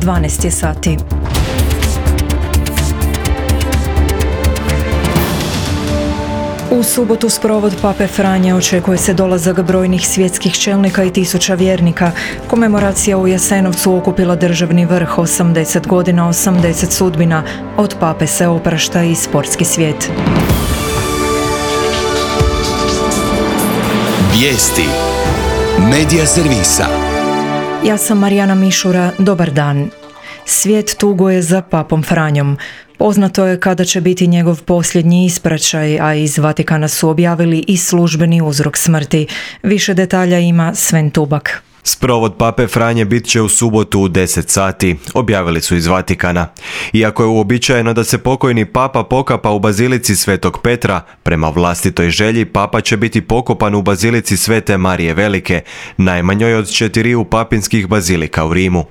12 je sati. U subotu sprovod Pape Franje očekuje se dolazak brojnih svjetskih čelnika i tisuća vjernika. Komemoracija u Jasenovcu okupila državni vrh 80 godina, 80 sudbina. Od Pape se oprašta i sportski svijet. Vijesti Medija servisa. Ja sam Marijana Mišura, dobar dan. Svijet tuguje za Papom Franjom. Poznato je kada će biti njegov posljednji ispraćaj, a iz Vatikana su objavili i službeni uzrok smrti. Više detalja ima Sven Tubak. Sprovod Pape Franje bit će u subotu u 10 sati, objavili su iz Vatikana. Iako je uobičajeno da se pokojni papa pokapa u bazilici Svetog Petra, prema vlastitoj želji papa će biti pokopan u bazilici Svete Marije Velike, najmanjoj od 4 papinskih bazilika u Rimu.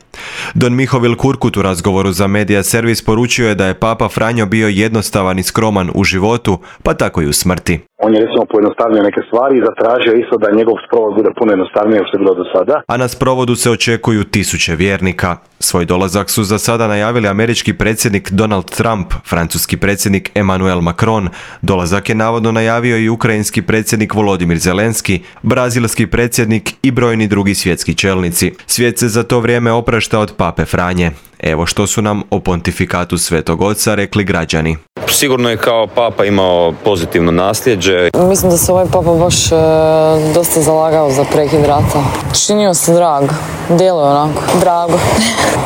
Don Mihovil Kurkut u razgovoru za Medija servis poručio je da je Papa Franjo bio jednostavan i skroman u životu, pa tako i u smrti. On je recimo pojednostavnio neke stvari i zatražio isto da njegov sprovod bude puno jednostavnije nego što je bilo do sada. A na sprovodu se očekuju tisuće vjernika. Svoj dolazak su za sada najavili američki predsjednik Donald Trump, francuski predsjednik Emmanuel Macron, dolazak je navodno najavio i ukrajinski predsjednik Volodimir Zelenski, brazilski predsjednik i brojni drugi svjetski čelnici. Svijet se za to vrijeme oprašta od Pape Franje. Evo što su nam o pontifikatu Svetog Oca rekli građani. Sigurno je kao papa imao pozitivno nasljeđe. Mislim da se ovaj papa baš dosta zalagao za prekid rata. Činio se drag, djeluje onako, drago.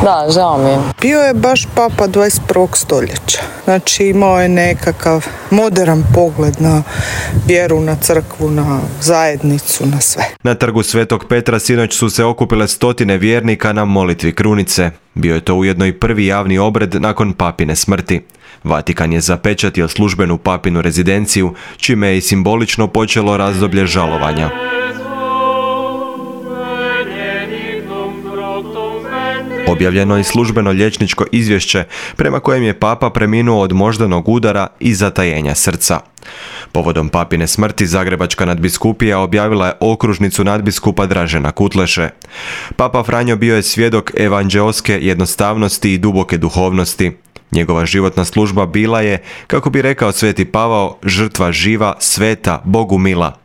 Da, žao mi je. Bio je baš papa 21. stoljeća. Znači imao je nekakav modern pogled na vjeru, na crkvu, na zajednicu, na sve. Na trgu Svetog Petra sinoć su se okupile stotine vjernika na molitvi krunice. Bio je to ujedno i prvi javni obred nakon papine smrti. Vatikan je zapečatio službenu papinu rezidenciju, čime je i simbolično počelo razdoblje žalovanja. Objavljeno je službeno liječničko izvješće prema kojem je papa preminuo od moždanog udara i zatajenja srca. Povodom papine smrti Zagrebačka nadbiskupija objavila je okružnicu nadbiskupa Dražena Kutleše. Papa Franjo bio je svjedok evanđeoske jednostavnosti i duboke duhovnosti. Njegova životna služba bila je, kako bi rekao Sveti Pavao, žrtva živa, sveta, Bogu mila.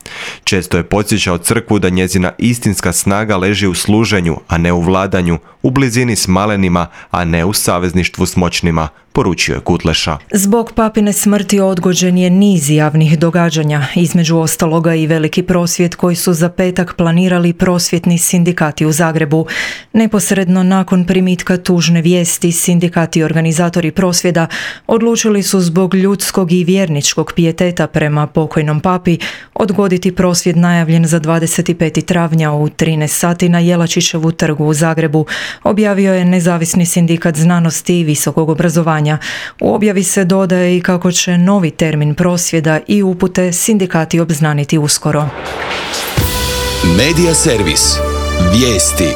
Često je podsjećao crkvu da njezina istinska snaga leži u služenju, a ne u vladanju, u blizini s malenima, a ne u savezništvu s moćnima, poručio je Kutleša. Zbog papine smrti odgođen je niz javnih događanja, između ostaloga i veliki prosvjed koji su za petak planirali prosvjetni sindikati u Zagrebu. Neposredno nakon primitka tužne vijesti, sindikati i organizatori prosvjeda odlučili su zbog ljudskog i vjerničkog pijeteta prema pokojnom papi odgoditi prosvjed najavljen za 25. travnja u 13 sati na Jelačićevu trgu u Zagrebu, objavio je Nezavisni sindikat znanosti i visokog obrazovanja. U objavi se dodaje i kako će novi termin prosvjeda i upute sindikati obznaniti uskoro. Medija servis. Vijesti.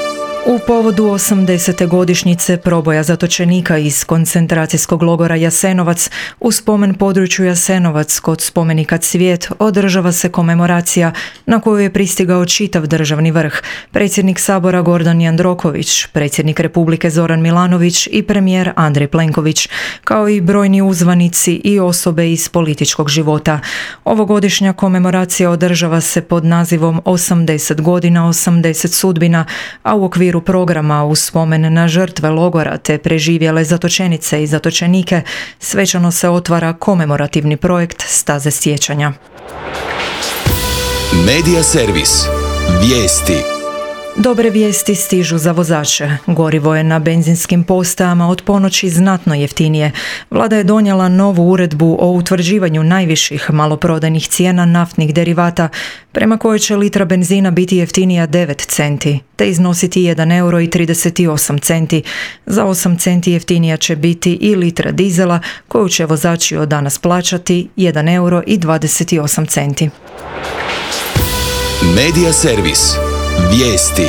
U povodu 80. godišnjice proboja zatočenika iz koncentracijskog logora Jasenovac u spomen području Jasenovac kod spomenika Cvijet održava se komemoracija na koju je pristigao čitav državni vrh, predsjednik Sabora Gordan Jandroković, predsjednik Republike Zoran Milanović i premijer Andrej Plenković, kao i brojni uzvanici i osobe iz političkog života. Ovogodišnja komemoracija održava se pod nazivom 80 godina, 80 sudbina, a u okviru programa u spomen na žrtve logora te preživjele zatočenice i zatočenike svečano se otvara komemorativni projekt Staze sjećanja. Medija servis. Vijesti. Dobre vijesti stižu za vozače. Gorivo je na benzinskim postajama od ponoći znatno jeftinije. Vlada je donijela novu uredbu o utvrđivanju najviših maloprodajnih cijena naftnih derivata, prema kojoj će litra benzina biti jeftinija 9 centi, te iznositi 1,38 euro. Za 8 centi jeftinija će biti i litra dizela, koju će vozači od danas plaćati 1,28 euro. Medija servis. Vijesti.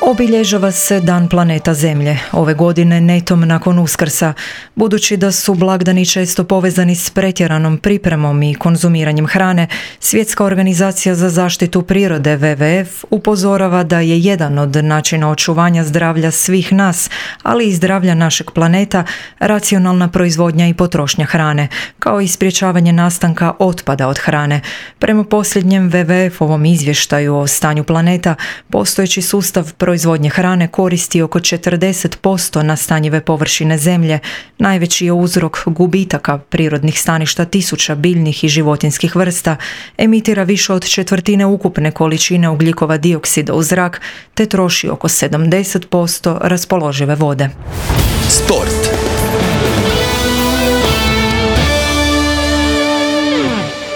Obilježava se Dan planeta Zemlje, ove godine netom nakon Uskrsa, budući da su blagdani često povezani s pretjeranom pripremom i konzumiranjem hrane. Svjetska organizacija za zaštitu prirode WWF upozorava da je jedan od načina očuvanja zdravlja svih nas, ali i zdravlja našeg planeta, racionalna proizvodnja i potrošnja hrane, kao i sprječavanje nastanka otpada od hrane. Prema posljednjem WWF-ovom izvještaju o stanju planeta, postojeći sustav proizvodnje hrane koristi oko 40% nastanjive površine zemlje. Najveći je uzrok gubitaka prirodnih staništa tisuća biljnih i životinjskih vrsta, emitira više od četvrtine ukupne količine ugljikova dioksida u zrak, te troši oko 70% raspoložive vode. Sport.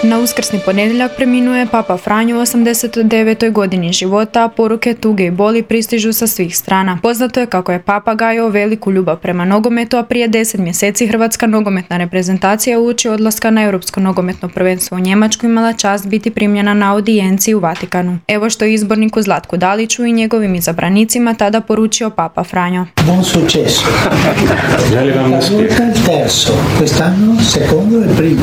Na uskrsni ponedjeljak preminuo je Papa Franjo u 89. godini života, a poruke tuge i boli pristižu sa svih strana. Poznato je kako je Papa gajio veliku ljubav prema nogometu, a prije 10 mjeseci hrvatska nogometna reprezentacija uoči odlaska na Europsko nogometno prvenstvo u Njemačku imala čast biti primljena na audijenciji u Vatikanu. Evo što je izborniku Zlatku Daliću i njegovim izabranicima tada poručio Papa Franjo. Buon successo. Želim vam uspjeh. Terzo, quest'anno secondo e primo.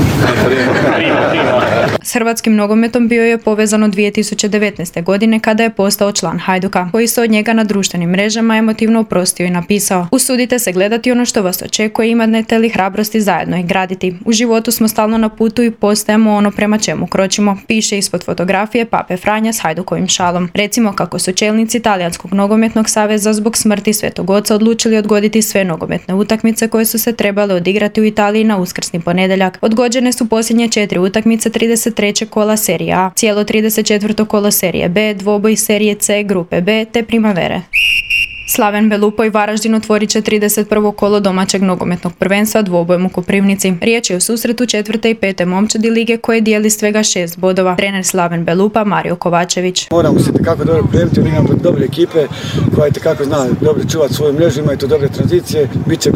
S hrvatskim nogometom bio je povezan od 2019. godine kada je postao član Hajduka, koji se od njega na društvenim mrežama emotivno oprostio i napisao: usudite se gledati ono što vas očekuje, imate li hrabrosti zajedno i graditi. U životu smo stalno na putu i postajemo ono prema čemu kročimo, piše ispod fotografije Pape Franja s Hajdukovim šalom. Recimo kako su čelnici Talijanskog nogometnog saveza zbog smrti Svetog Oca odlučili odgoditi sve nogometne utakmice koje su se trebale odigrati u Italiji na uskrsni ponedjeljak. Odgođene su posljednje 4 utakmice 33. kola serije A, cijelo 34. kolo serije B, dvoboj serije C, grupe B te Primavere. Slaven Belupo i Varaždin otvorit će 31. kolo domaćeg nogometnog prvenstva dvobojem u Koprivnici. Riječ je o susretu 4. i 5. momčadi lige koje dijeli svega 6 bodova. Trener Slaven Belupa Mario Kovačević. Moramo se tekako dobro pripremiti, jer imamo dobre ekipe koja tekako zna dobro čuvati svoju mrežu, imaju to dobre tranzicije. Biće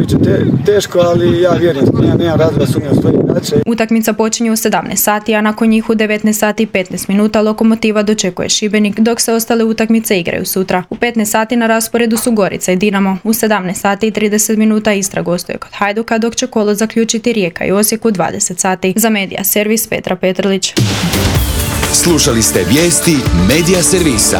teško, ali ja vjerujem, nemam razloga sumnjam svoje igrače. Utakmica počinje u 17 sati, a nakon njih u 19 sati i 15 minuta Lokomotiva dočekuje Šibenik, dok se ostale utakmice igraju sutra. U 15 sati na rasporedu su Gorica i Dinamo. U 17 sati i 30 minuta Istra gostuje kod Hajduka, dok će kolo zaključiti Rijeka i Osijek u 20 sati. Za Medija servis Petra Petrlić. Slušali ste vijesti Medija servisa.